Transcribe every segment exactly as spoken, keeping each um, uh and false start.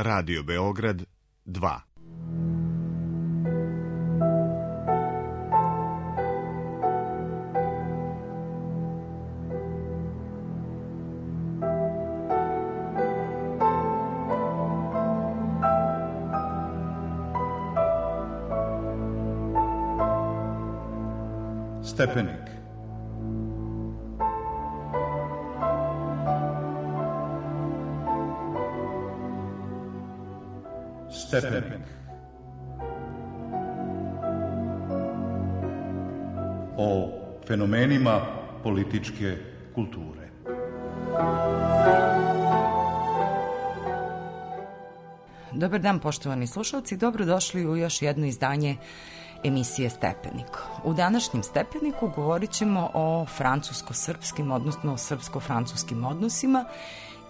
Radio Beograd dva. Stepenik. Stepenik. O fenomenima političke kulture. Dobar dan, poštovani slušalci, dobrodošli u još jedno izdanje emisije Stepenik. U današnjem Stepeniku govorit ćemo o francusko-srpskim, odnosno srpsko-francuskim odnosima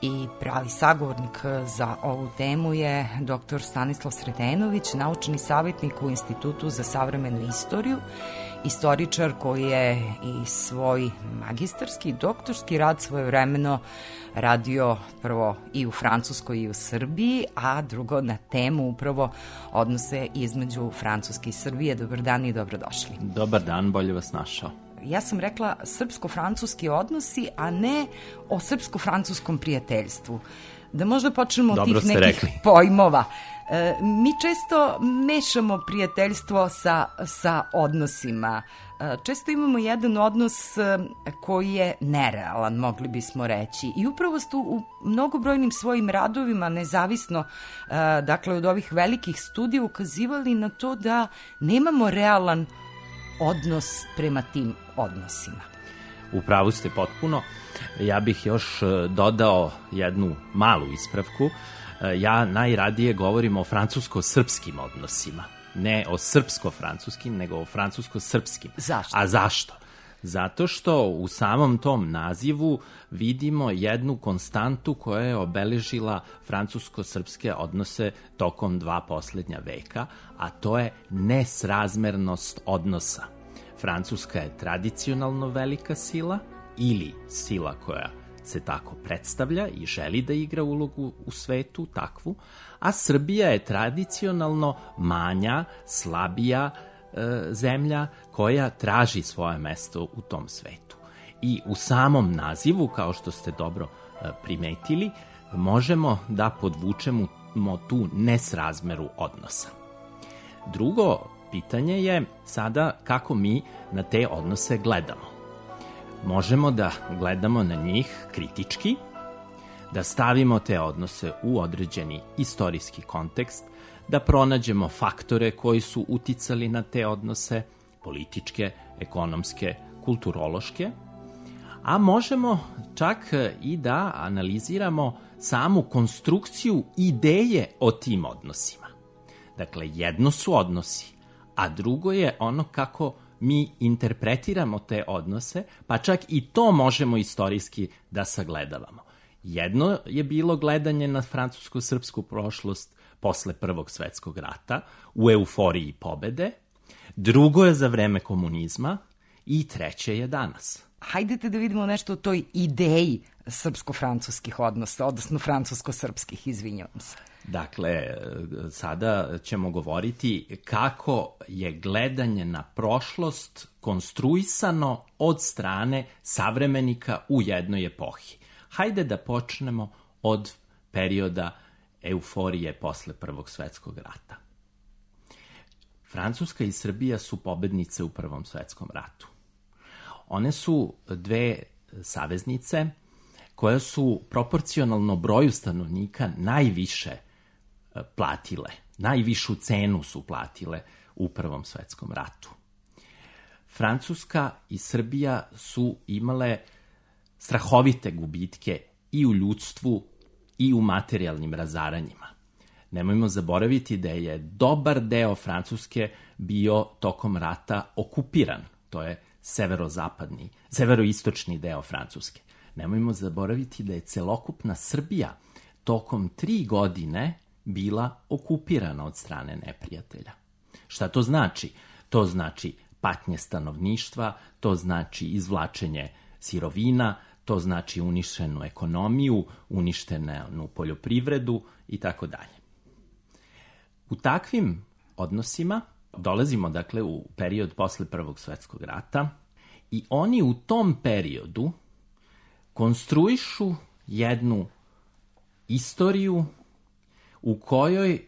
i pravi sagovornik za ovu temu je doktor Stanislav Sretenović, naučni savjetnik u Institutu za savremenu istoriju, istoričar koji je i svoj magistarski i doktorski rad svojevremeno radio prvo i u Francuskoj i u Srbiji, a drugo na temu upravo odnose između Francuske i Srbije. Dobar dan i dobrodošli. Dobar dan, bolje vas našao. Ja sam rekla srpsko-francuski odnosi, a ne o srpsko-francuskom prijateljstvu. Da možda počnemo od tih nekih rekli. pojmova. E, mi često mešamo prijateljstvo sa, sa odnosima. E, često imamo jedan odnos koji je nerealan, mogli bismo reći. I upravo ste u mnogobrojnim svojim radovima, nezavisno e, dakle od ovih velikih studija, ukazivali na to da nemamo realan odnos prema tim odnosima. U pravu ste potpuno. Ja bih još dodao jednu malu ispravku. Ja najradije govorim o francusko-srpskim odnosima. Ne o srpsko-francuskim, nego o francusko-srpskim. Zašto? A zašto? Zato što u samom tom nazivu vidimo jednu konstantu koja je obeležila francusko-srpske odnose tokom dva poslednja veka, a to je nesrazmernost odnosa. Francuska je tradicionalno velika sila ili sila koja se tako predstavlja i želi da igra ulogu u svetu takvu, a Srbija je tradicionalno manja, slabija e, zemlja koja traži svoje mesto u tom svetu. I u samom nazivu, kao što ste dobro e, primetili, možemo da podvučemo tu nesrazmeru odnosa. Drugo pitanje je sada kako mi na te odnose gledamo. Možemo da gledamo na njih kritički, da stavimo te odnose u određeni istorijski kontekst, da pronađemo faktore koji su uticali na te odnose, političke, ekonomske, kulturološke, a možemo čak i da analiziramo samu konstrukciju ideje o tim odnosima. Dakle, jedno su odnosi, a drugo je ono kako mi interpretiramo te odnose, pa čak i to možemo istorijski da sagledavamo. Jedno je bilo gledanje na francusko-srpsku prošlost posle Prvog svetskog rata, u euforiji pobede, drugo je za vreme komunizma i treće je danas. Hajdete da vidimo nešto o toj ideji srpsko-francuskih odnosa, odnosno francusko-srpskih, izvinjavam se. Dakle, sada ćemo govoriti kako je gledanje na prošlost konstruisano od strane savremenika u jednoj epohi. Hajde da počnemo od perioda euforije posle Prvog svetskog rata. Francuska i Srbija su pobednice u Prvom svetskom ratu. One su dve saveznice koje su proporcionalno broju stanovnika najviše platile, najvišu cenu su platile u Prvom svetskom ratu. Francuska i Srbija su imale strahovite gubitke i u ljudstvu i u materijalnim razaranjima. Nemojmo zaboraviti da je dobar deo Francuske bio tokom rata okupiran, to je severozapadni, severoistočni deo Francuske. Nemojmo zaboraviti da je celokupna Srbija tokom tri godine bila okupirana od strane neprijatelja. Šta to znači? To znači patnje stanovništva, to znači izvlačenje sirovina, to znači uništenu ekonomiju, uništenu poljoprivredu i tako dalje. U takvim odnosima dolazimo, dakle, u period posle Prvog svetskog rata i oni u tom periodu konstruišu jednu istoriju u kojoj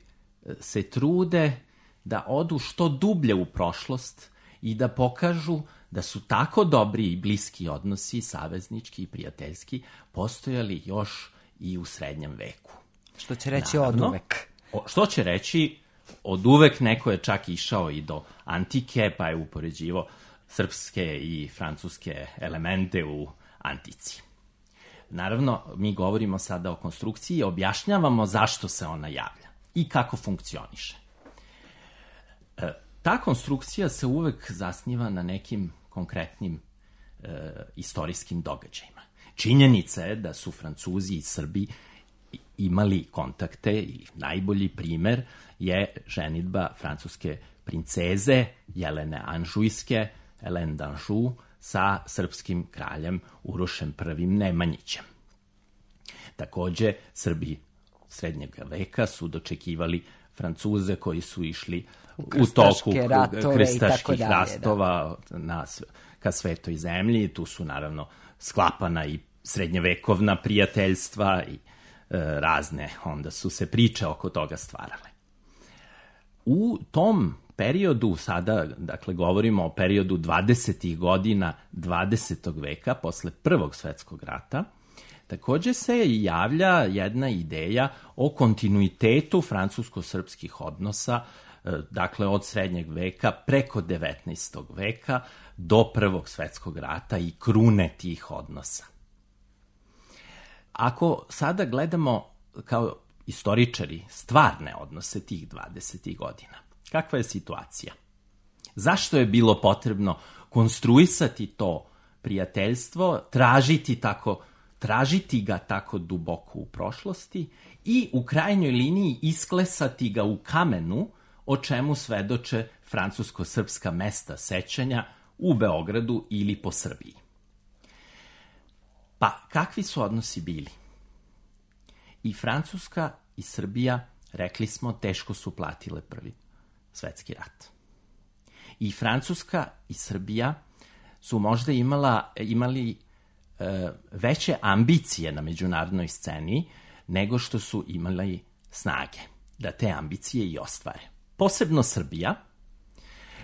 se trude da odu što dublje u prošlost i da pokažu da su tako dobri i bliski odnosi, saveznički i prijateljski, postojali još i u srednjem veku. Što će reći Naravno, od uvek. O, što će reći od uvek, neko je čak išao i do antike, pa je upoređivo srpske i francuske elemente u antici. Naravno, mi govorimo sada o konstrukciji i objašnjavamo zašto se ona javlja i kako funkcioniše. E, ta konstrukcija se uvek zasniva na nekim konkretnim e, istorijskim događajima. Činjenica je da su Francuzi i Srbi imali kontakte i najbolji primer je ženidba francuske princeze Jelene Anžujske, Helene d'Anjou, sa srpskim kraljem Urošem prvim Nemanjićem. Takođe, Srbi srednjeg veka su dočekivali Francuze koji su išli u toku krstaških ratova na, ka Svetoj zemlji. Tu su naravno sklapana i srednjevekovna prijateljstva i e, razne, onda su se priče oko toga stvarale. U tom periodu, sada, dakle, govorimo o periodu dvadesetih godina dvadesetog veka, posle Prvog svetskog rata, takođe se javlja jedna ideja o kontinuitetu francusko-srpskih odnosa, dakle, od srednjeg veka preko devetnaestog veka do Prvog svetskog rata i krune tih odnosa. Ako sada gledamo kao istoričari stvarne odnose tih dvadesetih godina, kakva je situacija? Zašto je bilo potrebno konstruisati to prijateljstvo, tražiti tako, tražiti ga tako duboko u prošlosti i u krajnjoj liniji isklesati ga u kamenu, o čemu svedoče francusko-srpska mesta sećanja u Beogradu ili po Srbiji? Pa, kakvi su odnosi bili? I Francuska i Srbija, rekli smo, teško su platile Prvi svetski rat. I Francuska i Srbija su možda imala, imali e, veće ambicije na međunarodnoj sceni nego što su imali snage da te ambicije i ostvare. Posebno Srbija,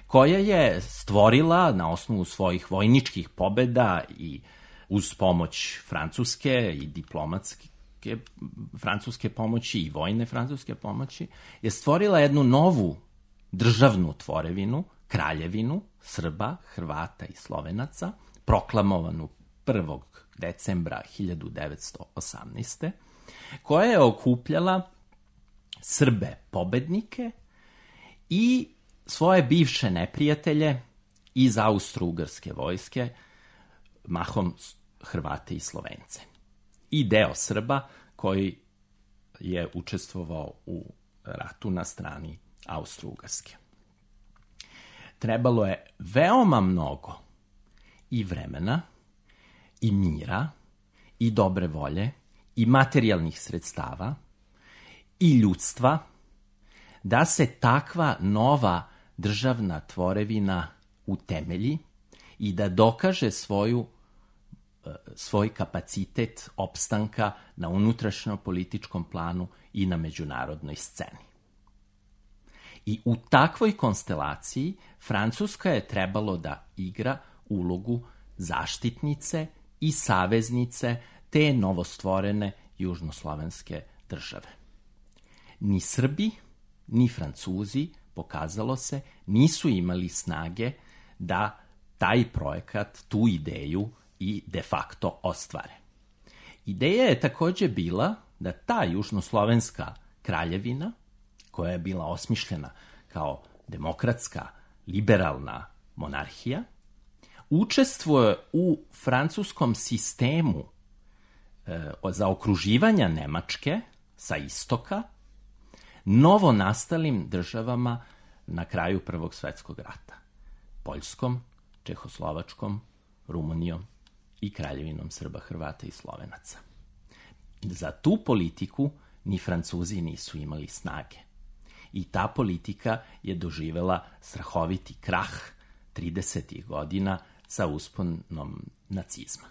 koja je stvorila na osnovu svojih vojničkih pobeda i uz pomoć Francuske i diplomatske francuske pomoći i vojne francuske pomoći, je stvorila jednu novu državnu tvorevinu, kraljevinu Srba, Hrvata i Slovenaca, proklamovanu prvog decembra hiljadu devetsto osamnaeste. koja je okupljala Srbe pobednike i svoje bivše neprijatelje iz austro-ugarske vojske, mahom Hrvate i Slovence. I deo Srba koji je učestvovao u ratu na strani austro-ugarske. Trebalo je veoma mnogo i vremena, i mira, i dobre volje, i materijalnih sredstava, i ljudstva, da se takva nova državna tvorevina utemelji i da dokaže svoju, svoj kapacitet opstanka na unutrašnjo-političkom planu i na međunarodnoj sceni. I u takvoj konstelaciji Francuska je trebalo da igra ulogu zaštitnice i saveznice te novostvorene južnoslovenske države. Ni Srbi, ni Francuzi, pokazalo se, nisu imali snage da taj projekat, tu ideju i de facto ostvare. Ideja je takođe bila da ta južnoslovenska kraljevina, koja je bila osmišljena kao demokratska, liberalna monarhija, učestvuje u francuskom sistemu e, zaokruživanja Nemačke sa istoka novo nastalim državama na kraju Prvog svetskog rata. Poljskom, Čehoslovačkom, Rumunijom i kraljevinom Srba, Hrvata i Slovenaca. Za tu politiku ni Francuzi nisu imali snage. I ta politika je doživela strahoviti krah tridesetih godina sa usponom nacizma.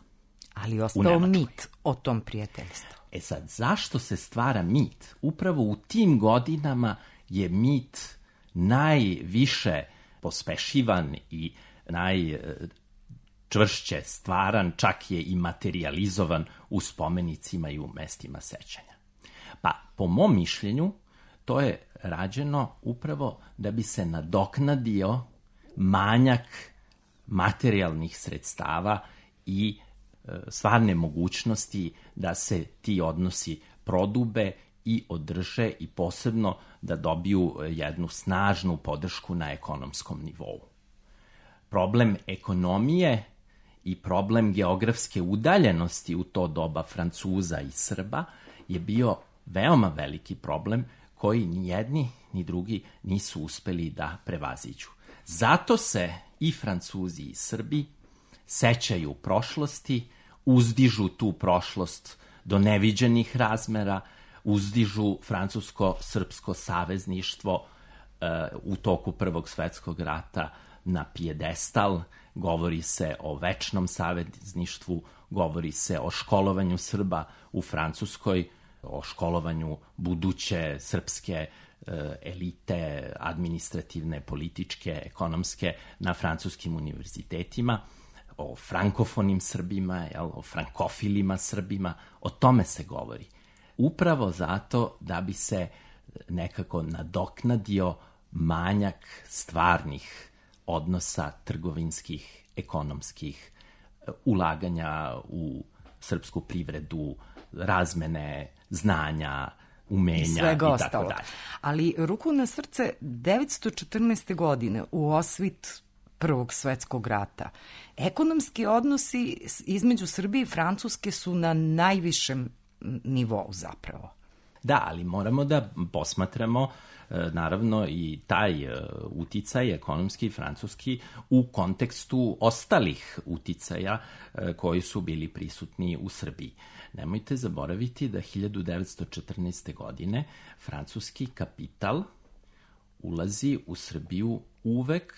Ali ostao mit o tom prijateljstvu. E sad, zašto se stvara mit? Upravo u tim godinama je mit najviše pospešivan i najčvršće stvaran, čak je i materializovan u spomenicima i u mestima sećanja. Pa, po mom mišljenju, to je rađeno upravo da bi se nadoknadio manjak materijalnih sredstava i stvarne mogućnosti da se ti odnosi prodube i održe i posebno da dobiju jednu snažnu podršku na ekonomskom nivou. Problem ekonomije i problem geografske udaljenosti u to doba Francuza i Srba je bio veoma veliki problem koji ni jedni ni drugi nisu uspeli da prevaziđu. Zato se i Francuzi i Srbi sećaju prošlosti, uzdižu tu prošlost do neviđenih razmera, uzdižu francusko-srpsko savezništvo uh, u toku Prvog svetskog rata na pijedestal, govori se o večnom savezništvu, govori se o školovanju Srba u Francuskoj, o školovanju buduće srpske uh, elite, administrativne, političke, ekonomske na francuskim univerzitetima, o frankofonim Srbima, jel, o frankofilima Srbima, o tome se govori. Upravo zato da bi se nekako nadoknadio manjak stvarnih odnosa trgovinskih, ekonomskih, ulaganja u srpsku privredu, razmene znanja, umenja i svega i tako dalje. Ali ruku na srce, devetsto četrnaeste. godine u osvit Prvog svetskog rata, ekonomski odnosi između Srbije i Francuske su na najvišem nivou zapravo. Da, ali moramo da posmatramo naravno i taj uticaj ekonomski francuski u kontekstu ostalih uticaja koji su bili prisutni u Srbiji. Nemojte zaboraviti da hiljadu devetsto četrnaeste. godine francuski kapital ulazi u Srbiju uvek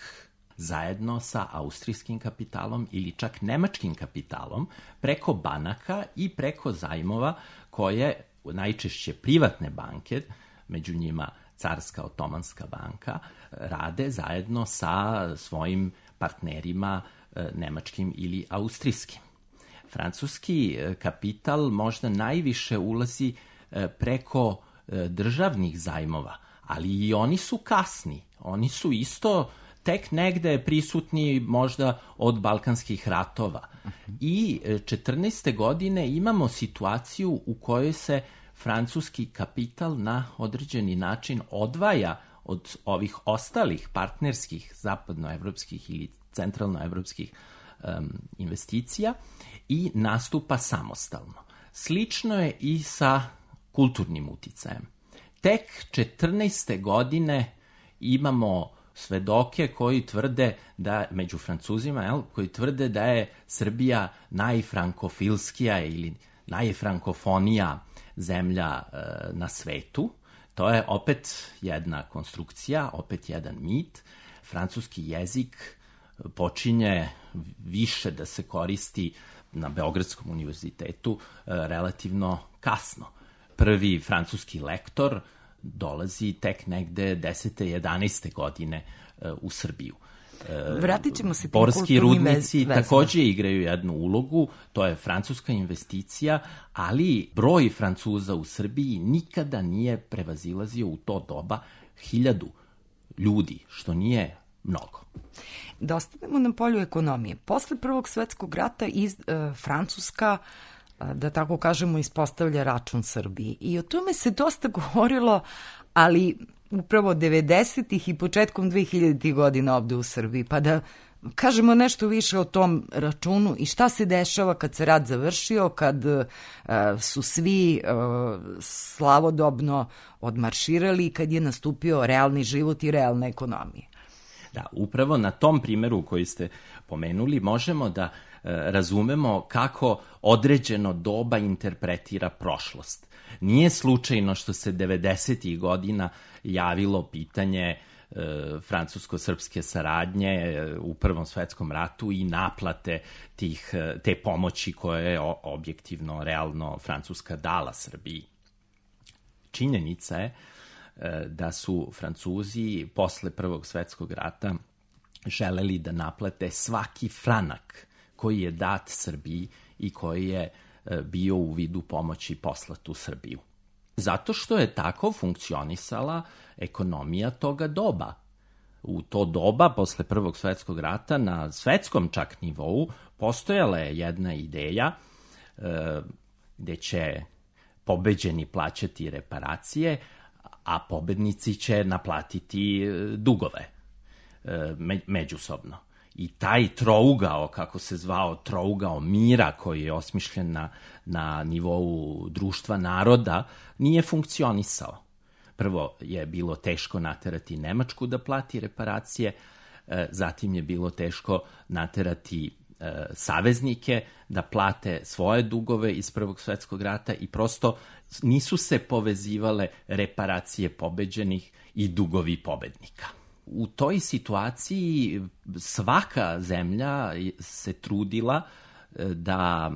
zajedno sa austrijskim kapitalom ili čak nemačkim kapitalom preko banaka i preko zajmova koje najčešće privatne banke, među njima Carska otomanska banka, rade zajedno sa svojim partnerima nemačkim ili austrijskim. Francuski kapital možda najviše ulazi preko državnih zajmova, ali i oni su kasni. Oni su isto tek negde prisutni možda od balkanskih ratova. I četrnaeste. godine imamo situaciju u kojoj se francuski kapital na određeni način odvaja od ovih ostalih partnerskih zapadnoevropskih ili centralnoevropskih um, investicija i nastupa samostalno. Slično je i sa kulturnim uticajem. Tek četrnaeste. godine imamo svedoke koji tvrde da, među Francuzima, jel, koji tvrde da je Srbija najfrankofilskija ili najfrankofonija zemlja e, na svetu. To je opet jedna konstrukcija, opet jedan mit. Francuski jezik počinje više da se koristi na Beogradskom univerzitetu e, relativno kasno. Prvi francuski lektor dolazi tek negde desete jedanaeste. godine uh, u Srbiju. Uh, Vratit ćemo se tim Borski rudnici vezima. Takođe igraju jednu ulogu, to je francuska investicija, ali broj Francuza u Srbiji nikada nije prevazilazio u to doba hiljadu ljudi, što nije mnogo. Da ostanemo na polju ekonomije. Posle Prvog svetskog rata iz, uh, Francuska, da tako kažemo, ispostavlja račun Srbiji. I o tome se dosta govorilo, ali upravo devedesetih i početkom dvehiljaditih godina ovde u Srbiji. Pa da kažemo nešto više o tom računu i šta se dešava kad se rat završio, kad uh, su svi uh, slavodobno odmarširali i kad je nastupio realni život i realna ekonomija. Da, upravo na tom primeru koji ste pomenuli možemo da razumemo kako određeno doba interpretira prošlost. Nije slučajno što se devedesetih godina javilo pitanje francusko-srpske saradnje u Prvom svetskom ratu i naplate tih, te pomoći koje je objektivno, realno Francuska dala Srbiji. Činjenica je da su Francuzi posle Prvog svetskog rata želeli da naplate svaki franak koji je dat Srbiji i koji je bio u vidu pomoći poslat u Srbiju. Zato što je tako funkcionisala ekonomija toga doba. U to doba, posle Prvog svetskog rata, na svetskom čak nivou, postojala je jedna ideja e, gde će pobeđeni plaćati reparacije, a pobednici će naplatiti dugove e, me, međusobno. I taj trougao, kako se zvao, trougao mira koji je osmišljen na, na nivou društva naroda, nije funkcionisao. Prvo je bilo teško naterati Nemačku da plati reparacije, zatim je bilo teško naterati saveznike da plate svoje dugove iz Prvog svetskog rata i prosto nisu se povezivale reparacije pobeđenih i dugovi pobednika. U toj situaciji svaka zemlja se trudila da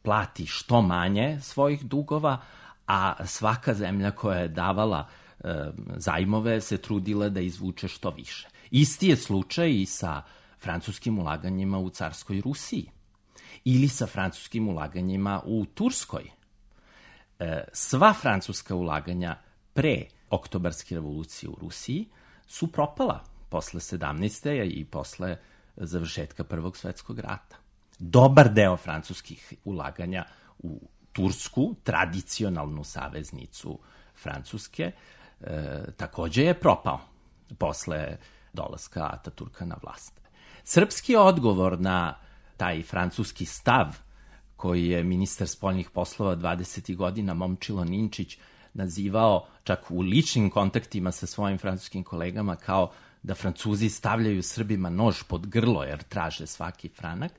plati što manje svojih dugova, a svaka zemlja koja je davala e, zajmove se trudila da izvuče što više. Isti je slučaj i sa francuskim ulaganjima u carskoj Rusiji ili sa francuskim ulaganjima u Turskoj. E, sva francuska ulaganja pre Oktobarske revolucije u Rusiji su propala posle sedamnaeste. i posle završetka Prvog svetskog rata. Dobar deo francuskih ulaganja u Tursku, tradicionalnu saveznicu Francuske, e, takođe je propao posle dolaska Ataturka na vlast. Srpski odgovor na taj francuski stav koji je ministar spoljnih poslova dvadesetih godina Momčilo Ninčić nazivao čak u ličnim kontaktima sa svojim francuskim kolegama kao da Francuzi stavljaju Srbima nož pod grlo jer traže svaki franak.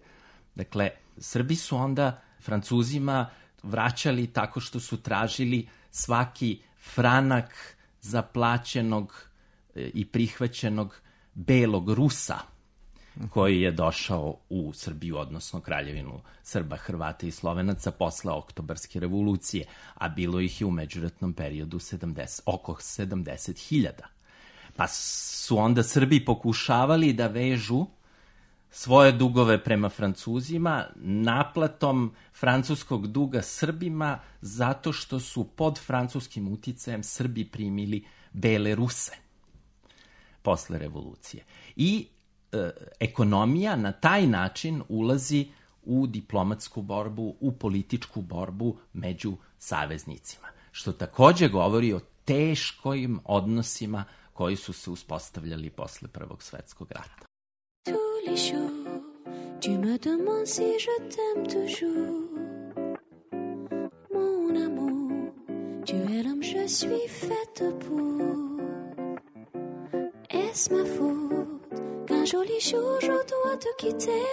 Dakle, Srbi su onda Francuzima vraćali tako što su tražili svaki franak zaplaćenog i prihvaćenog belog Rusa koji je došao u Srbiju, odnosno Kraljevinu Srba, Hrvata i Slovenaca posle Oktobarske revolucije, a bilo ih je u međuratnom periodu sedamdeset, oko sedamdeset hiljada. Pa su onda Srbi pokušavali da vežu svoje dugove prema Francuzima naplatom francuskog duga Srbima zato što su pod francuskim uticajem Srbi primili bele Ruse posle revolucije. I e, ekonomija na taj način ulazi u diplomatsku borbu, u političku borbu među saveznicima, što takođe govori o teškim odnosima koji su se uspostavljali posle Prvog svetskog rata. Tous les jours, tu me demandes si je t'aime toujours. Mon amour, tu es l'homme je suis faite pour. Est-ce ma faute qu'un joli jour je dois te quitter?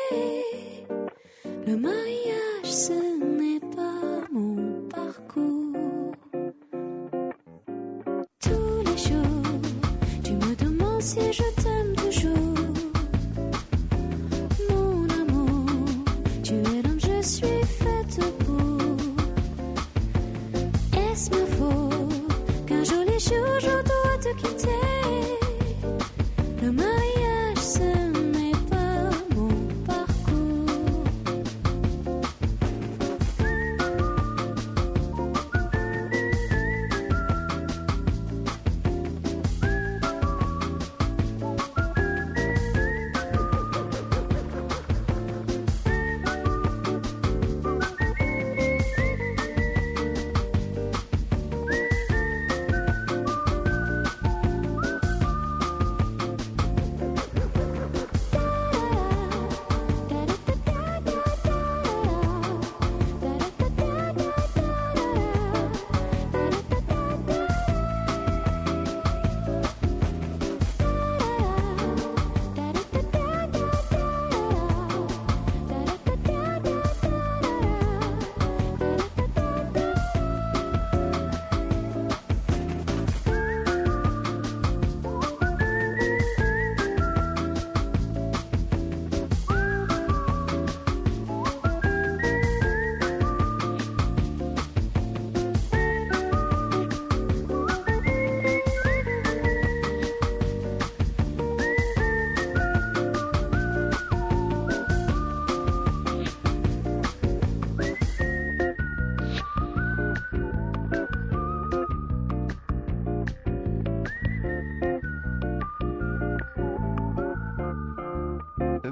Le mariage, ce n'est pas mon parcours. Tous les jours, tu me demandes si je t'aime toujours. Je suis faite pour. Est-ce ma faute qu'un joli jour je dois te quitter? Le mariage, ce n'est pas mon parcours.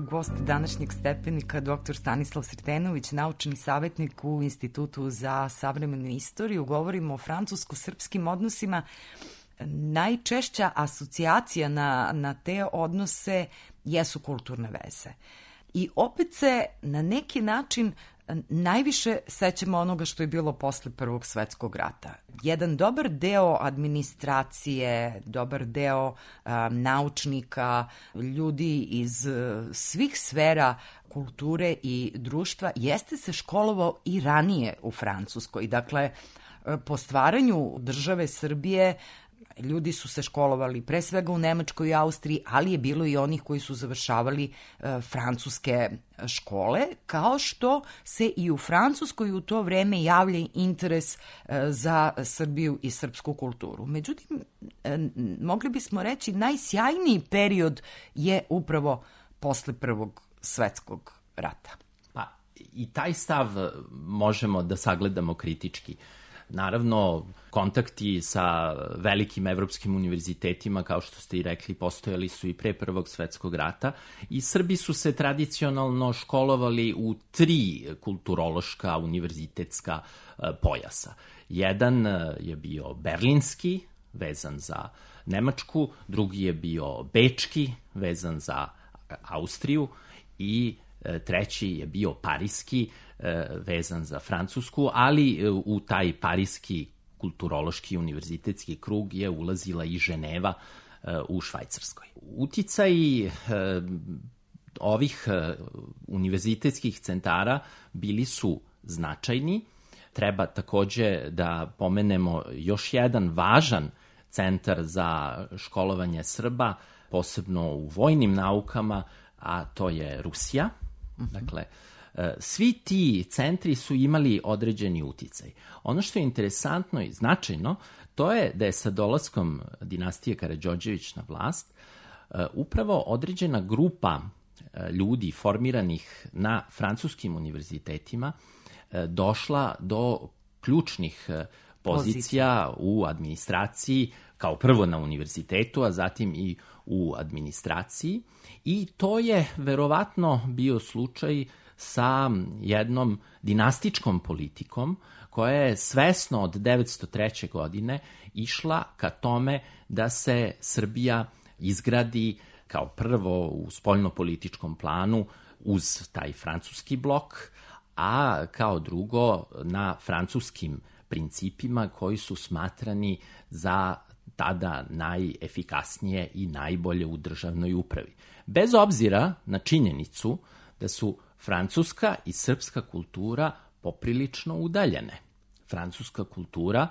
Gost današnjeg stepenika doktor Stanislav Sretenović, naučni savjetnik u Institutu za savremenu istoriju. Govorimo o francusko-srpskim odnosima. Najčešća asocijacija na, na te odnose jesu kulturne veze. I opet se na neki način najviše sećamo onoga što je bilo posle Prvog svetskog rata. Jedan dobar deo administracije, dobar deo um, naučnika, ljudi iz uh, svih sfera kulture i društva jeste se školovao i ranije u Francuskoj. Dakle, po stvaranju države Srbije ljudi su se školovali pre svega u Nemačkoj i Austriji, ali je bilo i onih koji su završavali e, francuske škole, kao što se i u Francuskoj u to vreme javlja interes e, za Srbiju i srpsku kulturu. Međutim, e, mogli bismo reći najsjajniji period je upravo posle Prvog svetskog rata. Pa i taj stav možemo da sagledamo kritički. Naravno, kontakti sa velikim evropskim univerzitetima, kao što ste i rekli, postojali su i pre Prvog svetskog rata i Srbi su se tradicionalno školovali u tri kulturološka univerzitetska pojasa. Jedan je bio berlinski, vezan za Nemačku, drugi je bio bečki, vezan za Austriju i treći je bio pariski, vezan za Francusku, ali u taj pariski kulturološki univerzitetski krug je ulazila i Ženeva u Švajcarskoj. Uticaj ovih univerzitetskih centara bili su značajni. Treba takođe da pomenemo još jedan važan centar za školovanje Srba, posebno u vojnim naukama, a to je Rusija. Dakle, svi ti centri su imali određeni uticaj. Ono što je interesantno i značajno, to je da je sa dolaskom dinastije Karađorđević na vlast upravo određena grupa ljudi formiranih na francuskim univerzitetima došla do ključnih pozicija u administraciji, kao prvo na univerzitetu, a zatim i u administraciji. I to je verovatno bio slučaj sa jednom dinastičkom politikom koja je svesno od devetsto treće. godine išla ka tome da se Srbija izgradi kao prvo u spoljnopolitičkom planu uz taj francuski blok, a kao drugo na francuskim principima koji su smatrani za tada najefikasnije i najbolje u državnoj upravi. Bez obzira na činjenicu da su francuska i srpska kultura poprilično udaljene. Francuska kultura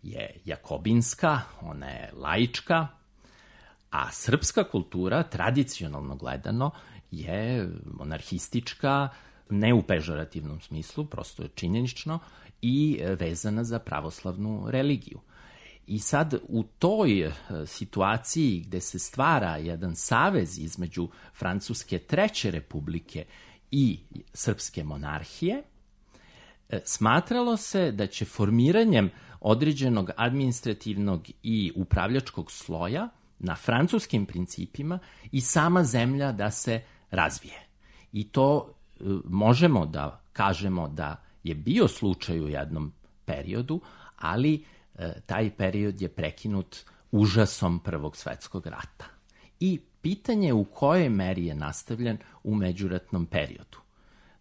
je jakobinska, ona je laička, a srpska kultura, tradicionalno gledano, je monarhistička, ne u pežorativnom smislu, prosto je činjenično, i vezana za pravoslavnu religiju. I sad u toj situaciji gde se stvara jedan savez između Francuske treće republike i srpske monarhije, smatralo se da će formiranjem određenog administrativnog i upravljačkog sloja na francuskim principima i sama zemlja da se razvije. I to možemo da kažemo da je bio slučaj u jednom periodu, ali taj period je prekinut užasom Prvog svetskog rata. I pitanje u kojoj meri je nastavljen u međuratnom periodu.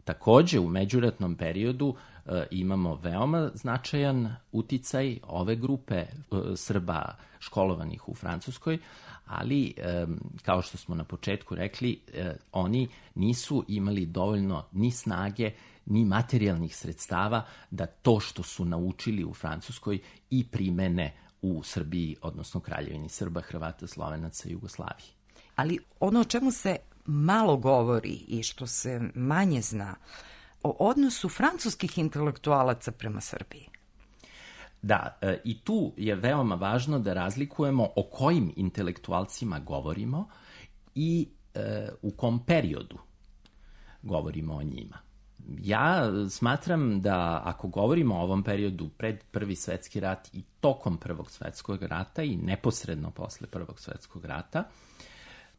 Takođe, u međuratnom periodu e, imamo veoma značajan uticaj ove grupe e, Srba školovanih u Francuskoj, ali, e, kao što smo na početku rekli, e, oni nisu imali dovoljno ni snage, ni materijalnih sredstava da to što su naučili u Francuskoj i primene u Srbiji, odnosno Kraljevini Srba, Hrvata, Slovenaca i Jugoslaviji. Ali ono o čemu se malo govori i što se manje zna, o odnosu francuskih intelektualaca prema Srbiji. Da, e, i tu je veoma važno da razlikujemo o kojim intelektualcima govorimo i e, u kom periodu govorimo o njima. Ja smatram da ako govorimo o ovom periodu pred Prvi svetski rat i tokom Prvog svetskog rata i neposredno posle Prvog svetskog rata,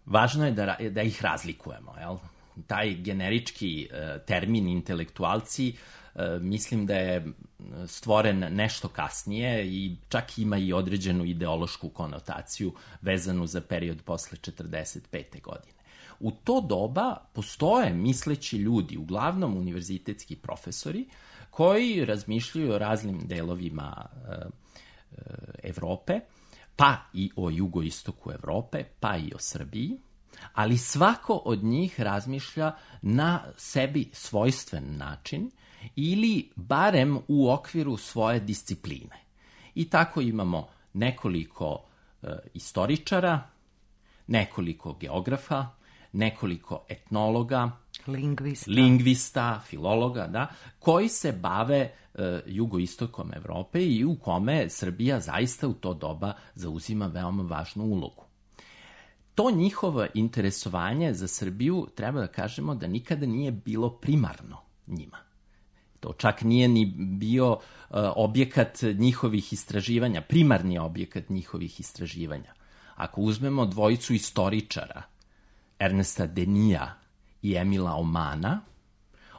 važno je da, da ih razlikujemo. Jel? taj generički e, termin intelektualci e, mislim da je stvoren nešto kasnije i čak ima i određenu ideološku konotaciju vezanu za period posle četrdeset pete godine. U to doba postoje misleći ljudi, uglavnom univerzitetski profesori, koji razmišljaju o raznim delovima e, e, Evrope, pa i o jugoistoku Evrope, pa i o Srbiji, ali svako od njih razmišlja na sebi svojstven način ili barem u okviru svoje discipline. I tako imamo nekoliko e, istoričara, nekoliko geografa, nekoliko etnologa, Lingvista. lingvista, filologa, da, koji se bave e, jugoistokom Evrope i u kome Srbija zaista u to doba zauzima veoma važnu ulogu. To njihovo interesovanje za Srbiju, treba da kažemo da nikada nije bilo primarno njima. To čak nije ni bio uh, objekat njihovih istraživanja, primarni objekat njihovih istraživanja. Ako uzmemo dvojicu istoričara, Ernesta Denija i Emila Omana,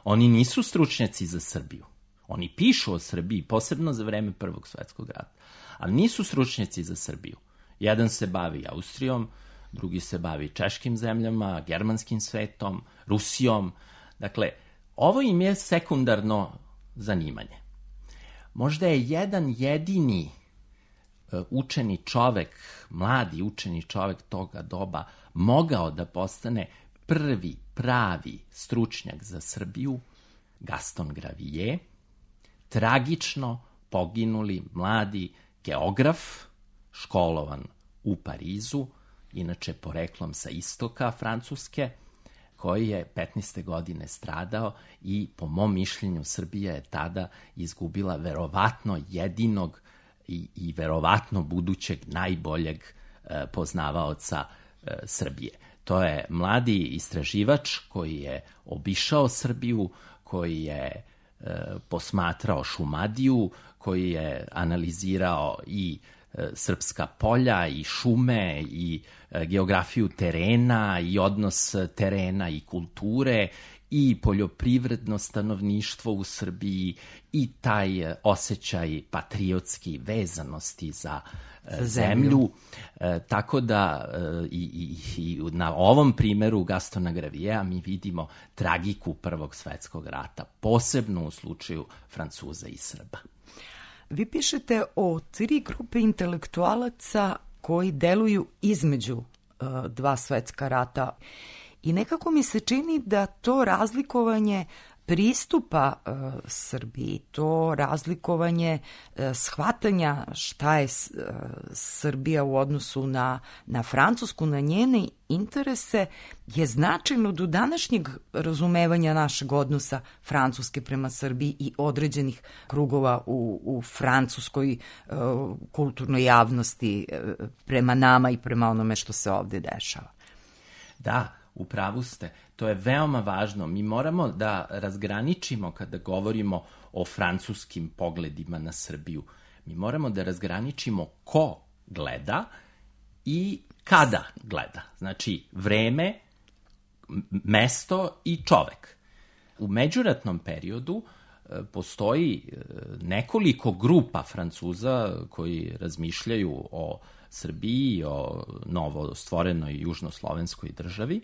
oni nisu stručnjaci za Srbiju. Oni pišu o Srbiji, posebno za vreme Prvog svetskog rata, ali nisu stručnjaci za Srbiju. Jedan se bavi Austrijom, drugi se bavi češkim zemljama, germanskim svetom, Rusijom. Dakle, ovo im je sekundarno zanimanje. Možda je jedan jedini učeni čovek, mladi učeni čovek toga doba, mogao da postane prvi pravi stručnjak za Srbiju, Gaston Gravier, tragično poginuli mladi geograf, školovan u Parizu, inače poreklom sa istoka Francuske, koji je petnaeste godine stradao i po mom mišljenju Srbija je tada izgubila verovatno jedinog i, i verovatno budućeg najboljeg e, poznavaoca e, Srbije. To je mladi istraživač koji je obišao Srbiju, koji je e, posmatrao Šumadiju, koji je analizirao i srpska polja i šume i geografiju terena i odnos terena i kulture i poljoprivredno stanovništvo u Srbiji i taj osjećaj patriotski vezanosti za, za zemlju. zemlju. E, tako da i, i, i na ovom primeru Gastona Graviera mi vidimo tragiku Prvog svetskog rata, posebno u slučaju Francuza i Srba. Vi pišete o tri grupe intelektualaca koji deluju između uh, dva svetska rata i nekako mi se čini da to razlikovanje pristupa uh, Srbiji, to razlikovanje uh, shvatanja šta je uh, Srbija u odnosu na, na Francusku, na njene interese, je značajno do današnjeg razumevanja našeg odnosa Francuske prema Srbiji i određenih krugova u, u francuskoj uh, kulturnoj javnosti uh, prema nama i prema onome što se ovde dešava. Da, u pravu ste. To je veoma važno. Mi moramo da razgraničimo kada govorimo o francuskim pogledima na Srbiju. Mi moramo da razgraničimo ko gleda i kada gleda. Znači, vreme, mesto i čovek. U međuratnom periodu postoji nekoliko grupa Francuza koji razmišljaju o Srbiji, o novo stvorenoj južnoslovenskoj državi,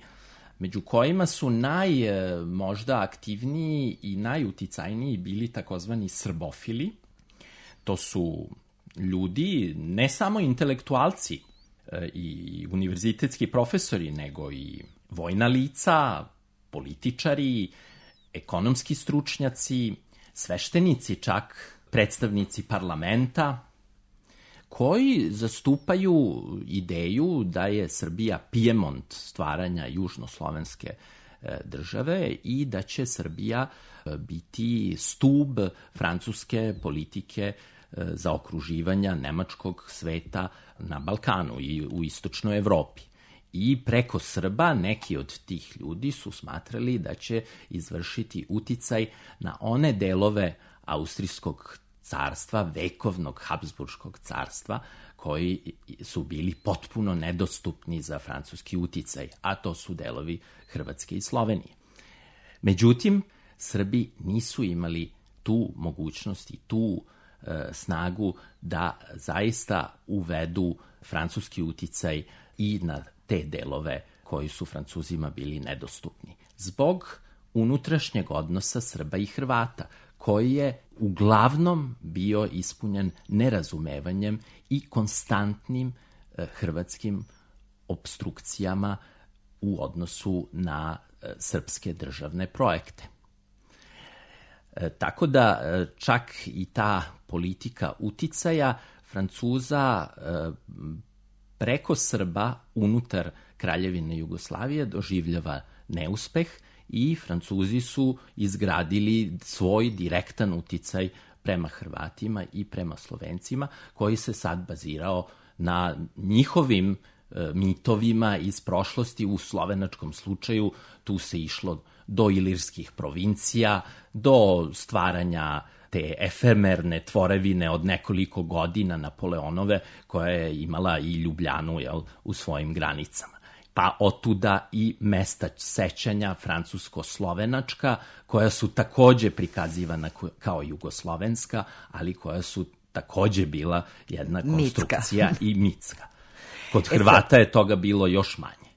među kojima su naj, možda aktivniji i najuticajniji bili takozvani srbofili. To su ljudi, ne samo intelektualci i univerzitetski profesori, nego i vojna lica, političari, ekonomski stručnjaci, sveštenici čak, predstavnici parlamenta, koji zastupaju ideju da je Srbija Pijemont stvaranja južnoslovenske države i da će Srbija biti stub francuske politike zaokruživanja nemačkog sveta na Balkanu i u istočnoj Evropi. I preko Srba neki od tih ljudi su smatrali da će izvršiti uticaj na one delove austrijskog carstva, vekovnog Habsburškog carstva, koji su bili potpuno nedostupni za francuski uticaj, a to su delovi Hrvatske i Slovenije. Međutim, Srbi nisu imali tu mogućnost i tu e, snagu da zaista uvedu francuski uticaj i na te delove koji su Francuzima bili nedostupni. Zbog unutrašnjeg odnosa Srba i Hrvata, koji je uglavnom bio ispunjen nerazumevanjem i konstantnim e, hrvatskim opstrukcijama u odnosu na e, srpske državne projekte. E, tako da e, čak i ta politika uticaja Francuza e, preko Srba unutar Kraljevine Jugoslavije doživljava neuspeh i Francuzi su izgradili svoj direktan uticaj prema Hrvatima i prema Slovencima, koji se sad bazirao na njihovim e, mitovima iz prošlosti. U slovenačkom slučaju tu se išlo do ilirskih provincija, do stvaranja te efemerne tvorevine od nekoliko godina Napoleonove, koja je imala i Ljubljanu, jel, u svojim granicama. Pa otuda i mesta sećanja francusko-slovenačka, koja su takođe prikazivana kao jugoslovenska, ali koja su takođe bila jedna konstrukcija mitska. I mitska. Kod Hrvata je toga bilo još manje.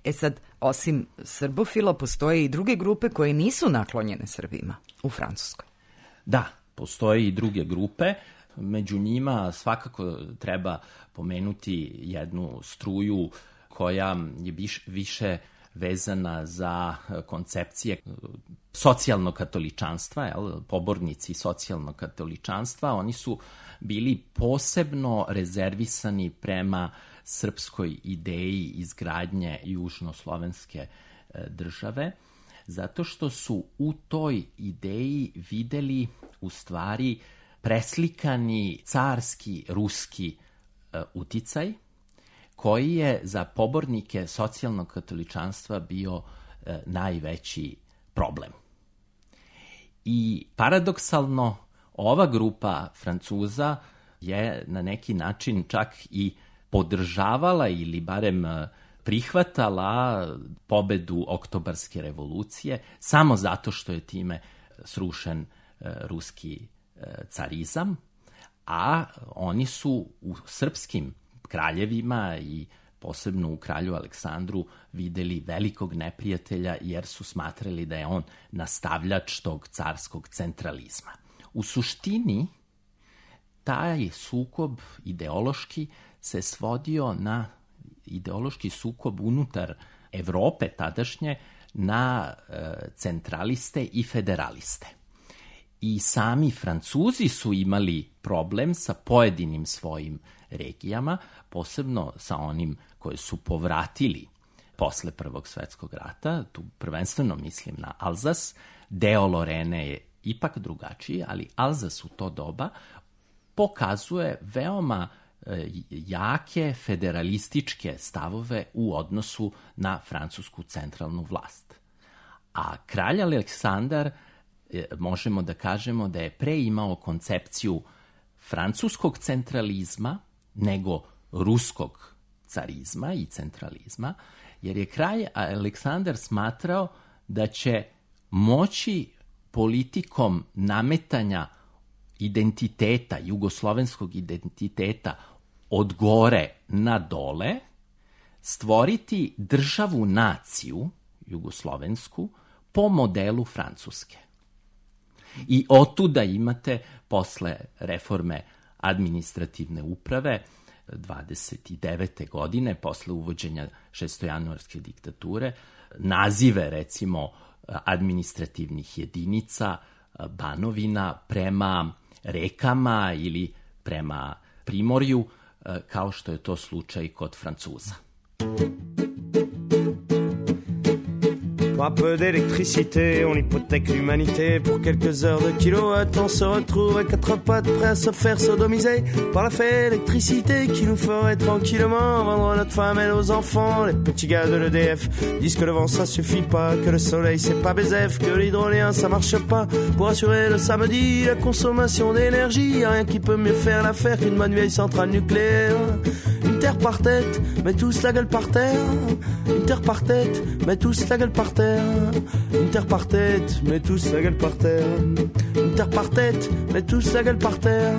E sad, osim srbofila, postoje i druge grupe koje nisu naklonjene Srbima u Francuskoj. Da, postoje i druge grupe. Među njima svakako treba pomenuti jednu struju koja je više vezana za koncepcije socijalnog katoličanstva, jel, pobornici socijalnog katoličanstva. Oni su bili posebno rezervisani prema srpskoj ideji izgradnje južnoslovenske države, zato što su u toj ideji videli u stvari preslikani carski, ruski uticaj, koji je za pobornike socijalnog katoličanstva bio e, najveći problem. I paradoksalno, ova grupa Francuza je na neki način čak i podržavala ili barem prihvatala pobedu Oktobarske revolucije samo zato što je time srušen e, ruski e, carizam, a oni su u srpskim kraljevima i posebno u kralju Aleksandru videli velikog neprijatelja, jer su smatrali da je on nastavljač tog carskog centralizma. U suštini, taj sukob ideološki se svodio na ideološki sukob unutar Evrope tadašnje, na e, centraliste i federaliste. I sami Francuzi su imali problem sa pojedinim svojim regijama, posebno sa onim koje su povratili posle Prvog svetskog rata. Tu prvenstveno mislim na Alzas. Deo Lorene je ipak drugačiji, ali Alzas u to doba pokazuje veoma e, jake federalističke stavove u odnosu na francusku centralnu vlast. A kralj Aleksandar, e, možemo da kažemo da je pre imao koncepciju francuskog centralizma nego ruskog carizma i centralizma, jer je kralj Aleksandar smatrao da će moći politikom nametanja identiteta, jugoslovenskog identiteta od gore na dole, stvoriti državu naciju jugoslovensku po modelu Francuske. I otuda imate posle reforme administrativne uprave dvadeset devete godine, posle uvođenja šestojanuarske diktature, nazive recimo administrativnih jedinica, banovina prema rekama ili prema primorju, kao što je to slučaj kod Francuza. Pour un peu d'électricité, on hypothèque l'humanité. Pour quelques heures de kilowatt, on se retrouve à quatre pattes, prêts à se faire sodomiser par la fée électricité qui nous ferait tranquillement vendre notre femme et nos enfants. Les petits gars de l'E D F disent que le vent ça suffit pas, que le soleil c'est pas Bézef, que l'hydrolien ça marche pas. Pour assurer le samedi la consommation d'énergie, y'a rien qui peut mieux faire l'affaire qu'une bonne vieille centrale nucléaire. Une terre par tête, mais tous la gueule par terre. Une terre par tête, mais tous la gueule par terre. Une terre par tête, mais tous la gueule par terre. Une terre par tête, mais tous la gueule par terre.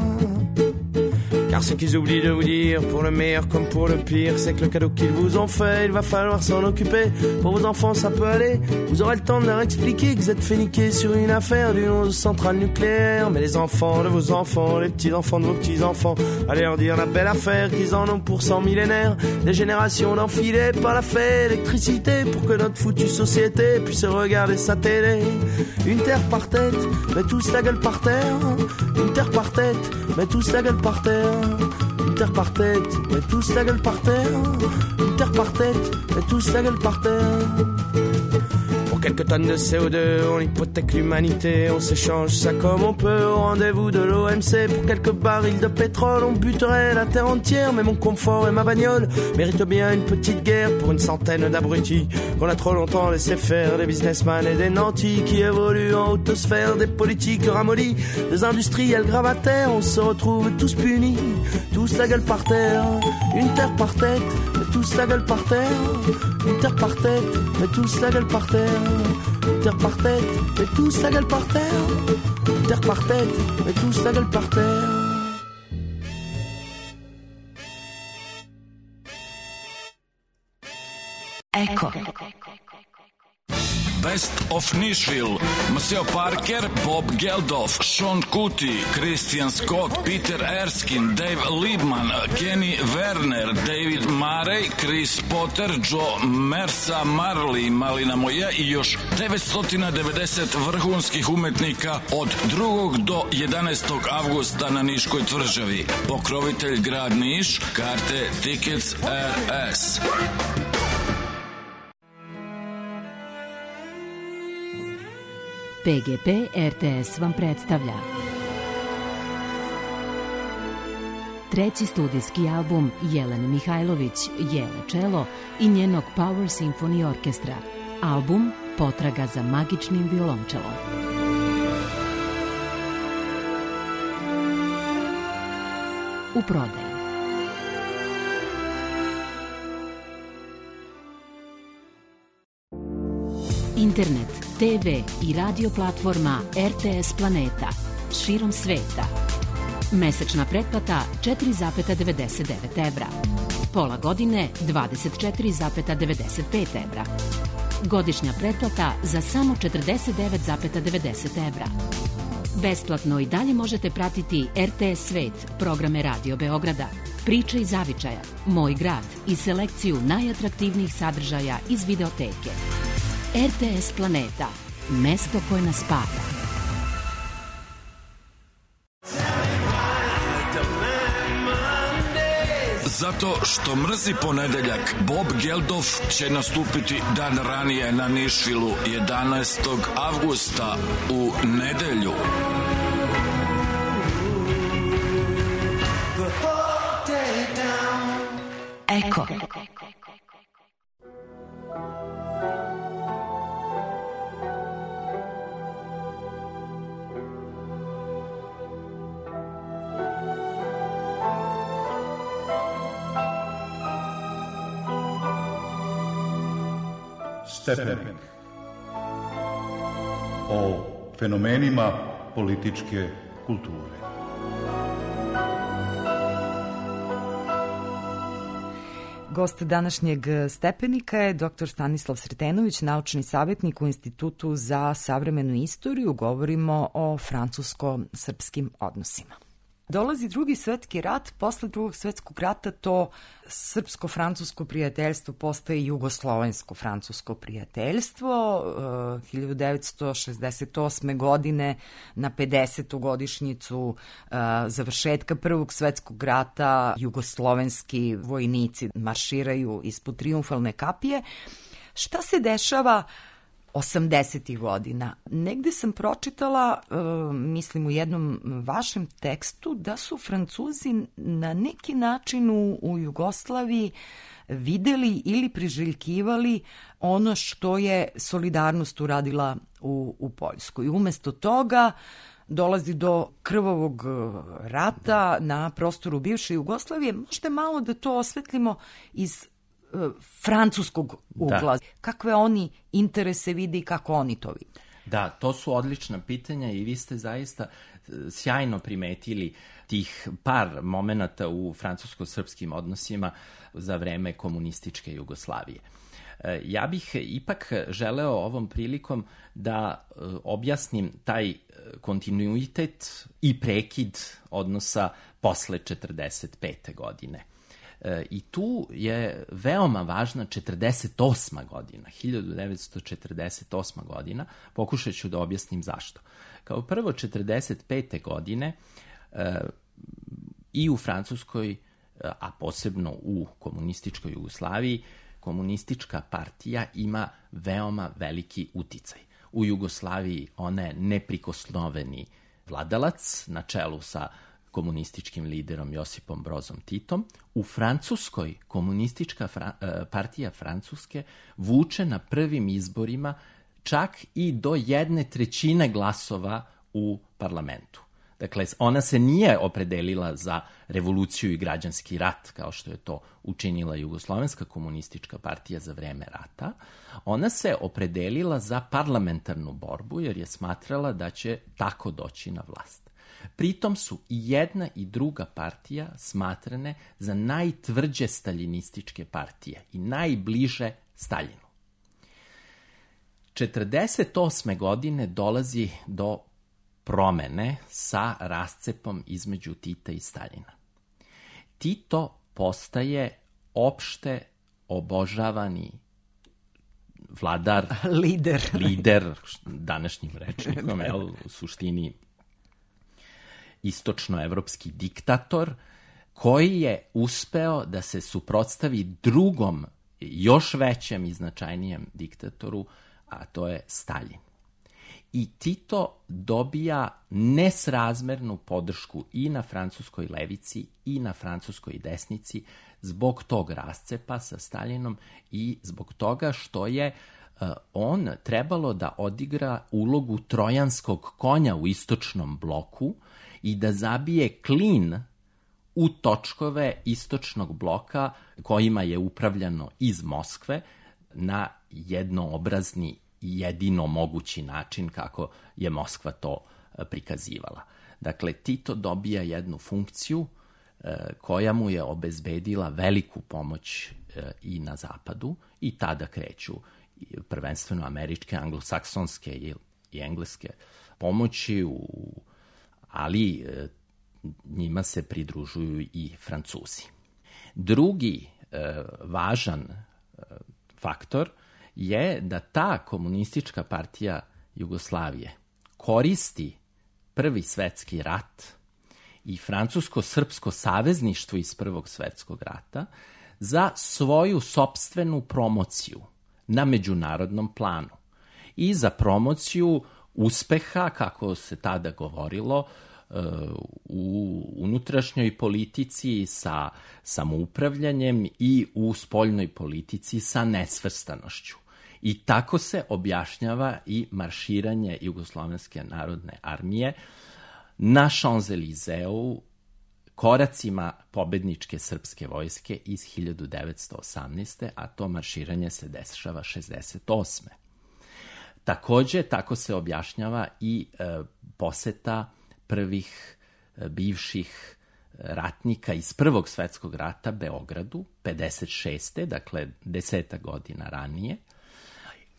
Car ce qu'ils oublient de vous dire, pour le meilleur comme pour le pire, c'est que le cadeau qu'ils vous ont fait, il va falloir s'en occuper. Pour vos enfants ça peut aller, vous aurez le temps de leur expliquer que vous êtes fait niquer sur une affaire d'une onze centrale nucléaire. Mais les enfants de vos enfants, les petits-enfants de vos petits-enfants, allez leur dire la belle affaire qu'ils en ont pour cent millénaires. Des générations d'enfilés par la fée électricité, pour que notre foutue société puisse regarder sa télé. Une terre par tête, mais tous la gueule par terre. Une terre par tête, mais tous la gueule par terre. Une terre par tête, mais tous la gueule par terre. Une terre par tête, mais tous la gueule par terre. Pour quelques tonnes de C O deux, on hypothèque l'humanité. On s'échange ça comme on peut au rendez-vous de l'O M C. Pour quelques barils de pétrole, on buterait la terre entière. Mais mon confort et ma bagnole méritent bien une petite guerre pour une centaine d'abrutis qu'on a trop longtemps laissé faire. Des businessmen et des nantis qui évoluent en haute sphère. Des politiques ramollis, des industriels gravataires. On se retrouve tous punis, tous la gueule par terre. Une terre par tête, mais tous la gueule par terre. Une terre par tête, mais tous la gueule par terre. Une terre par tête, mais tous la gueule par terre. Une terre par tête, mais tous la gueule par terre. Eko. Best of Nashville, Maceo Parker, Bob Geldof, Sean Kuti, Christian Scott, Peter Erskine, Dave Liebman, Kenny Werner, David Murray, Chris Potter, Joe Mersa, Marley, Malina Moja i još devetsto devedeset vrhunskih umetnika od drugog do jedanaestog avgusta na Niškoj tvrđavi. Pokrovitelj grad Niš, karte Tickets R S. P G P R T S vam predstavlja treći studijski album Jelene Mihajlović, Jele Čelo i njenog Power Symphony Orkestra. Album Potraga za magičnim violončelom. U prodaji. Internet, T V i radio platforma R T S Planeta širom sveta. Mesečna pretplata četiri zarez devedeset devet evra. Pola godine dvadeset četiri zarez devedeset pet evra. Godišnja pretplata za samo četrdeset devet zarez devedeset evra. Besplatno i dalje možete pratiti R T S Svet, programe Radio Beograda, Priče iz zavičaja, Moj grad i selekciju najatraktivnijih sadržaja iz videoteke. R T S Planeta, mesto koje nas spaja. Zato što mrzi ponedeljak, Bob Geldof će nastupiti dan ranije na Nišvilu jedanaestog avgusta u nedelju. Eko. Stepenik. O fenomenima političke kulture. Gost današnjeg Stepenika je doktor Stanislav Sretenović, naučni savjetnik u Institutu za savremenu istoriju. Govorimo o francusko-srpskim odnosima. Dolazi drugi svetski rat, posle drugog svetskog rata to srpsko-francusko prijateljstvo postaje jugoslovensko-francusko prijateljstvo. hiljadu devetsto šezdeset osme. godine na pedesetu godišnjicu završetka prvog svetskog rata jugoslovenski vojnici marširaju ispod trijumfalne kapije. Šta se dešava osamdesetih godina? Negde sam pročitala, uh, mislim u jednom vašem tekstu, da su Francuzi na neki način u, u Jugoslaviji videli ili priželjkivali ono što je Solidarnost uradila u, u Poljskoj. Umesto toga dolazi do krvavog rata na prostoru bivše Jugoslavije. Možete malo da to osvetlimo iz uh, francuskog ugla. Da. Kakve oni interese vide i kako oni to vide? Da, to su odlična pitanja i vi ste zaista sjajno primetili tih par momenata u francusko-srpskim odnosima za vreme komunističke Jugoslavije. Ja bih ipak želeo ovom prilikom da objasnim taj kontinuitet i prekid odnosa posle četrdeset pete godine. I tu je veoma važna četrdeset osma godina, hiljadu devetsto četrdeset osma godina, pokušat ću da objasnim zašto. Kao prvo, četrdeset pete godine i u Francuskoj, a posebno u komunističkoj Jugoslaviji, komunistička partija ima veoma veliki uticaj. U Jugoslaviji ona je neprikosnoveni vladalac na čelu sa komunističkim liderom Josipom Brozom Titom. U Francuskoj komunistička fra- partija Francuske vuče na prvim izborima čak i do jedne trećine glasova u parlamentu. Dakle, ona se nije opredelila za revoluciju i građanski rat, kao što je to učinila Jugoslovenska komunistička partija za vreme rata. Ona se opredelila za parlamentarnu borbu, jer je smatrala da će tako doći na vlast. Pritom su i jedna i druga partija smatrane za najtvrđe staljinističke partije i najbliže Staljinu. četrdeset osme godine dolazi do promene sa rascepom između Tita i Staljina. Tito postaje opšte obožavani vladar, lider, lider današnjim rečnikom, je u suštini istočnoevropski diktator, koji je uspeo da se suprotstavi drugom, još većem i značajnijem diktatoru, a to je Staljin. I Tito dobija nesrazmernu podršku i na francuskoj levici i na francuskoj desnici zbog tog rascepa sa Staljinom i zbog toga što je uh, on trebalo da odigra ulogu trojanskog konja u istočnom bloku i da zabije klin u točkove istočnog bloka kojima je upravljano iz Moskve na jednoobrazni jedino mogući način kako je Moskva to prikazivala. Dakle, Tito dobija jednu funkciju e, koja mu je obezbedila veliku pomoć e, i na zapadu i tada kreću prvenstveno američke, anglosaksonske i, i engleske pomoći, u, ali e, njima se pridružuju i Francuzi. Drugi e, važan e, faktor je da ta komunistička partija Jugoslavije koristi Prvi svetski rat i francusko-srpsko savezništvo iz Prvog svetskog rata za svoju sopstvenu promociju na međunarodnom planu i za promociju uspeha, kako se tada govorilo, u unutrašnjoj politici sa samoupravljanjem i u spoljnoj politici sa nesvrstanošću. I tako se objašnjava i marširanje Jugoslovenske narodne armije na Champs-Élysées koracima pobedničke srpske vojske iz hiljadu devetsto osamnaeste. a to marširanje se dešava šezdeset osme. Takođe, tako se objašnjava i e, poseta prvih e, bivših ratnika iz Prvog svetskog rata Beogradu, pedeset šeste. dakle deseta godina ranije,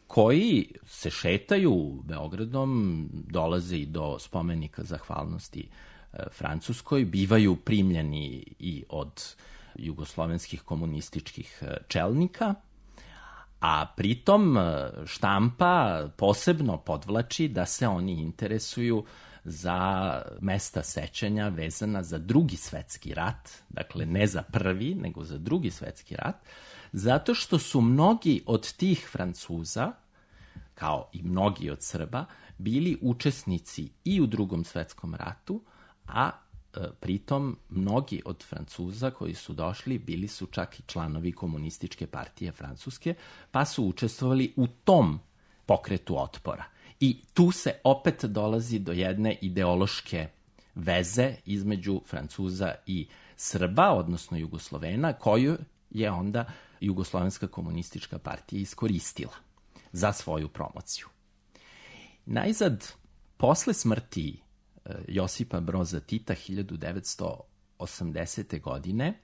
koji se šetaju Beogradom, dolaze i do spomenika zahvalnosti e, Francuskoj, bivaju primljeni i od jugoslovenskih komunističkih e, čelnika, a pritom štampa posebno podvlači da se oni interesuju za mesta sećanja vezana za Drugi svetski rat, dakle ne za prvi, nego za Drugi svetski rat, zato što su mnogi od tih Francuza, kao i mnogi od Srba, bili učesnici i u Drugom svetskom ratu, a e, pritom mnogi od Francuza koji su došli bili su čak i članovi komunističke partije Francuske, pa su učestvovali u tom pokretu otpora. I tu se opet dolazi do jedne ideološke veze između Francuza i Srba, odnosno Jugoslovena, koju je onda Jugoslovenska komunistička partija iskoristila za svoju promociju. Najzad, posle smrti Josipa Broza Tita hiljadu devetsto osamdesete. godine,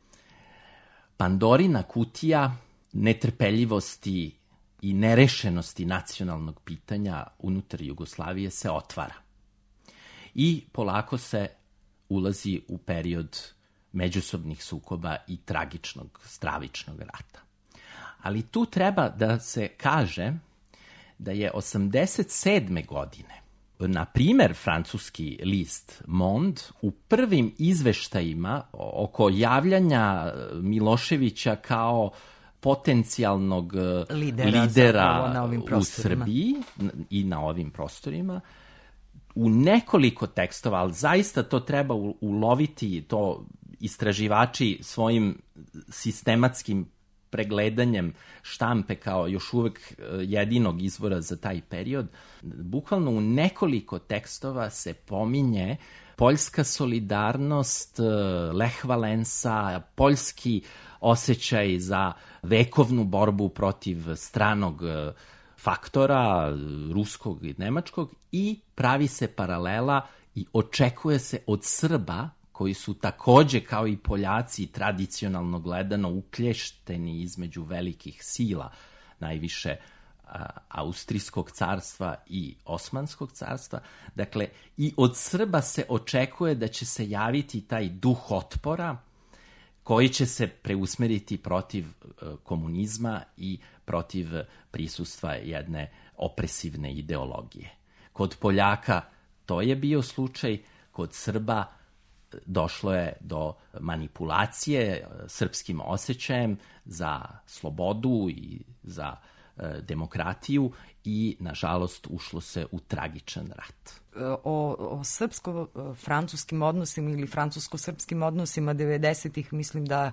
Pandorina kutija netrpeljivosti i nerešenosti nacionalnog pitanja unutar Jugoslavije se otvara. I polako se ulazi u period međusobnih sukoba i tragičnog, stravičnog rata. Ali tu treba da se kaže da je osamdeset sedme. godine, na primer, francuski list Monde u prvim izveštajima oko javljanja Miloševića kao potencijalnog lidera, lidera na ovim u Srbiji i na ovim prostorima, u nekoliko tekstova, ali zaista to treba uloviti, to istraživači svojim sistematskim pregledanjem štampe kao još uvek jedinog izvora za taj period, bukvalno u nekoliko tekstova se pominje poljska solidarnost, Lech Valensa, poljski osjećaj za vekovnu borbu protiv stranog faktora, ruskog i nemačkog, i pravi se paralela i očekuje se od Srba, koji su takođe kao i Poljaci tradicionalno gledano uklješteni između velikih sila, najviše a, Austrijskog carstva i Osmanskog carstva. Dakle, i od Srba se očekuje da će se javiti taj duh otpora koji će se preusmeriti protiv a, komunizma i protiv prisustva jedne opresivne ideologije. Kod Poljaka to je bio slučaj, kod Srba došlo je do manipulacije srpskim osjećajem za slobodu i za e, demokratiju i, nažalost, ušlo se u tragičan rat. O, o srpsko-francuskim odnosima ili francusko-srpskim odnosima devedesetih mislim da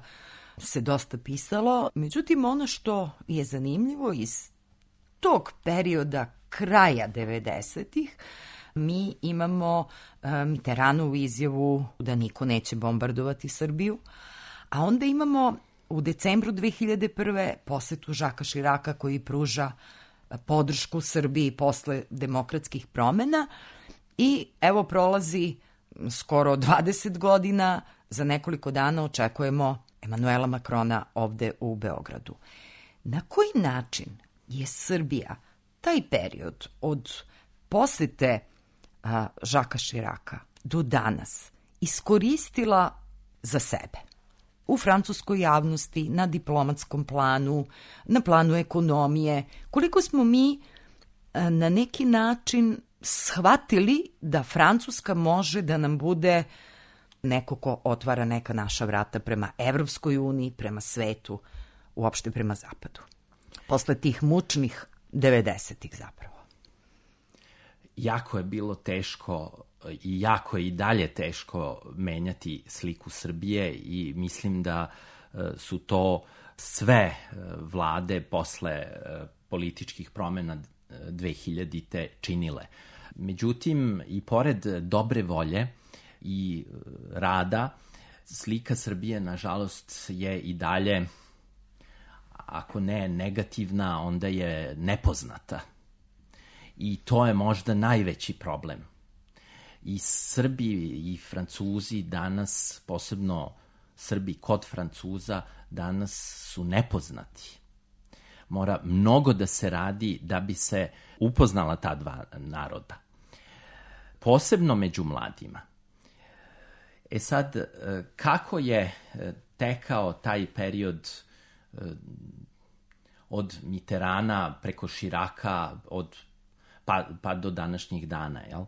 se dosta pisalo. Međutim, ono što je zanimljivo iz tog perioda kraja devedesetih, mi imamo e, Mitterrandovu izjavu da niko neće bombardovati Srbiju, a onda imamo u decembru dve hiljade prve. posetu Žaka Širaka koji pruža podršku Srbiji posle demokratskih promena i evo prolazi skoro dvadeset godina, za nekoliko dana očekujemo Emanuela Makrona ovde u Beogradu. Na koji način je Srbija taj period od posete a, Žaka Širaka do danas iskoristila za sebe? U francuskoj javnosti, na diplomatskom planu, na planu ekonomije, koliko smo mi a, na neki način shvatili da Francuska može da nam bude neko ko otvara neka naša vrata prema Evropskoj uniji, prema svetu, uopšte prema zapadu. Posle tih mučnih devedesetih zapravo. Jako je bilo teško i jako je i dalje teško menjati sliku Srbije i mislim da su to sve vlade posle političkih promena dve hiljadite činile. Međutim, i pored dobre volje i rada, slika Srbije, nažalost, je i dalje, ako ne negativna, onda je nepoznata. I to je možda najveći problem. I Srbi i Francuzi danas, posebno Srbi kod Francuza, danas su nepoznati. Mora mnogo da se radi da bi se upoznala ta dva naroda. Posebno među mladima. E sad, kako je tekao taj period od Mitterranda preko Širaka, od, pa, pa do današnjih dana, jel?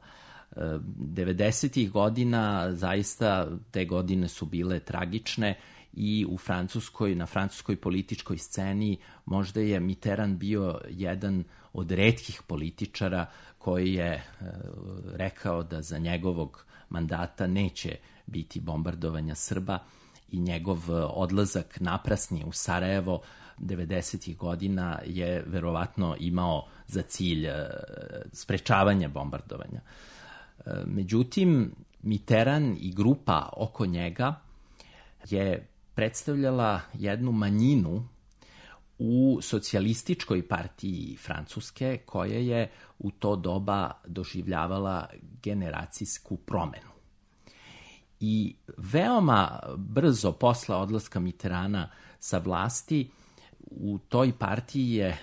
devedesetih godina, zaista te godine su bile tragične i u Francuskoj, na francuskoj političkoj sceni možda je Mitterrand bio jedan od retkih političara koji je e, rekao da za njegovog mandata neće biti bombardovanja Srba i njegov odlazak naprasni u Sarajevo devedesetih godina je verovatno imao za cilj sprečavanje bombardovanja. Međutim, Mitterrand i grupa oko njega je predstavljala jednu manjinu u socijalističkoj partiji Francuske, koja je u to doba doživljavala generacijsku promenu. I veoma brzo posle odlaska Mitterranda sa vlasti, u toj partiji je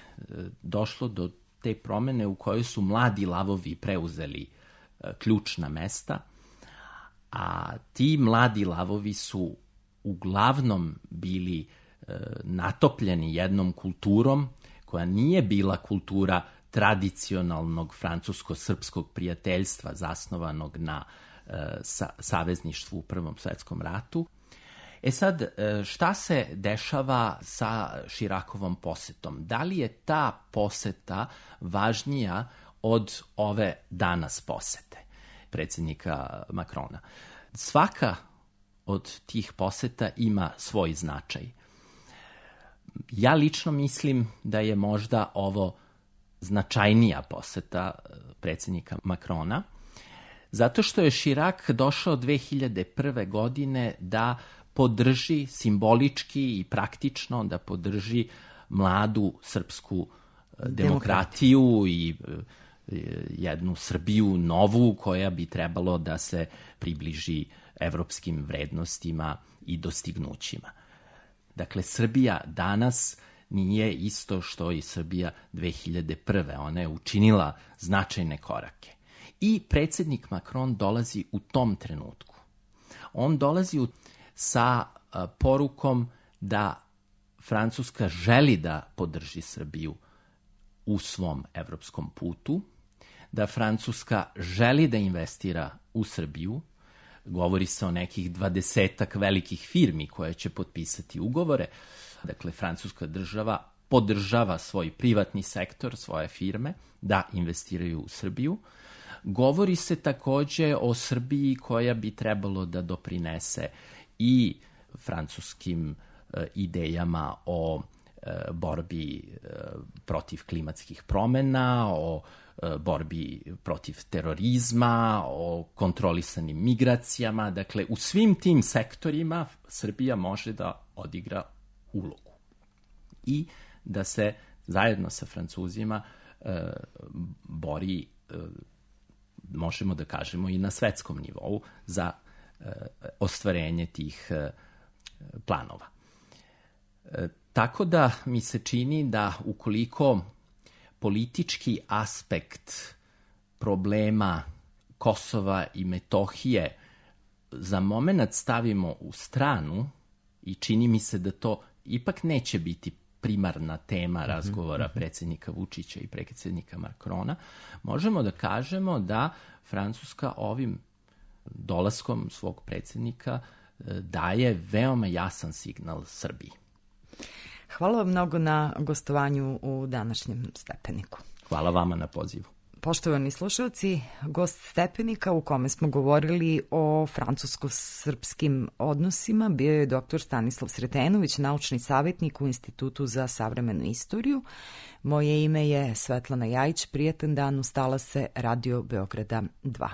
došlo do te promene u kojoj su mladi lavovi preuzeli ključna mesta, a ti mladi lavovi su uglavnom bili e, natopljeni jednom kulturom koja nije bila kultura tradicionalnog francusko-srpskog prijateljstva zasnovanog na e, sa, savezništvu u Prvom svetskom ratu. E sad, e, šta se dešava sa Chiracovom posetom? Da li je ta poseta važnija od ove danas posete predsjednika Macrona? Svaka od tih poseta ima svoj značaj. Ja lično mislim da je možda ovo značajnija poseta predsjednika Macrona, zato što je Chirac došao dve hiljade prve. godine da podrži simbolički i praktično, da podrži mladu srpsku demokratiju i jednu Srbiju novu koja bi trebalo da se približi evropskim vrednostima i dostignućima. Dakle, Srbija danas nije isto što i Srbija dve hiljade prve. Ona je učinila značajne korake. I predsjednik Macron dolazi u tom trenutku. On dolazi u, sa a, porukom da Francuska želi da podrži Srbiju u svom evropskom putu, da Francuska želi da investira u Srbiju. Govori se o nekih dvadesetak velikih firmi koje će potpisati ugovore. Dakle, francuska država podržava svoj privatni sektor, svoje firme, da investiraju u Srbiju. Govori se takođe o Srbiji koja bi trebalo da doprinese i francuskim e, idejama o e, borbi e, protiv klimatskih promena, o borbi protiv terorizma, o kontrolisanim migracijama. Dakle, u svim tim sektorima Srbija može da odigra ulogu i da se zajedno sa Francuzima e, bori, e, možemo da kažemo, i na svetskom nivou za e, ostvarenje tih e, planova. E, tako da mi se čini da ukoliko politički aspekt problema Kosova i Metohije za moment stavimo u stranu, i čini mi se da to ipak neće biti primarna tema razgovora predsjednika Vučića i predsjednika Macrona, možemo da kažemo da Francuska ovim dolaskom svog predsjednika daje veoma jasan signal Srbiji. Hvala vam mnogo na gostovanju u današnjem Stepeniku. Hvala vama na pozivu. Poštovani slušalci, gost Stepenika u kome smo govorili o francusko-srpskim odnosima bio je doktor Stanislav Sretenović, naučni savjetnik u Institutu za savremenu istoriju. Moje ime je Svetlana Jajić, prijatan dan, ustala se Radio Beograda dva.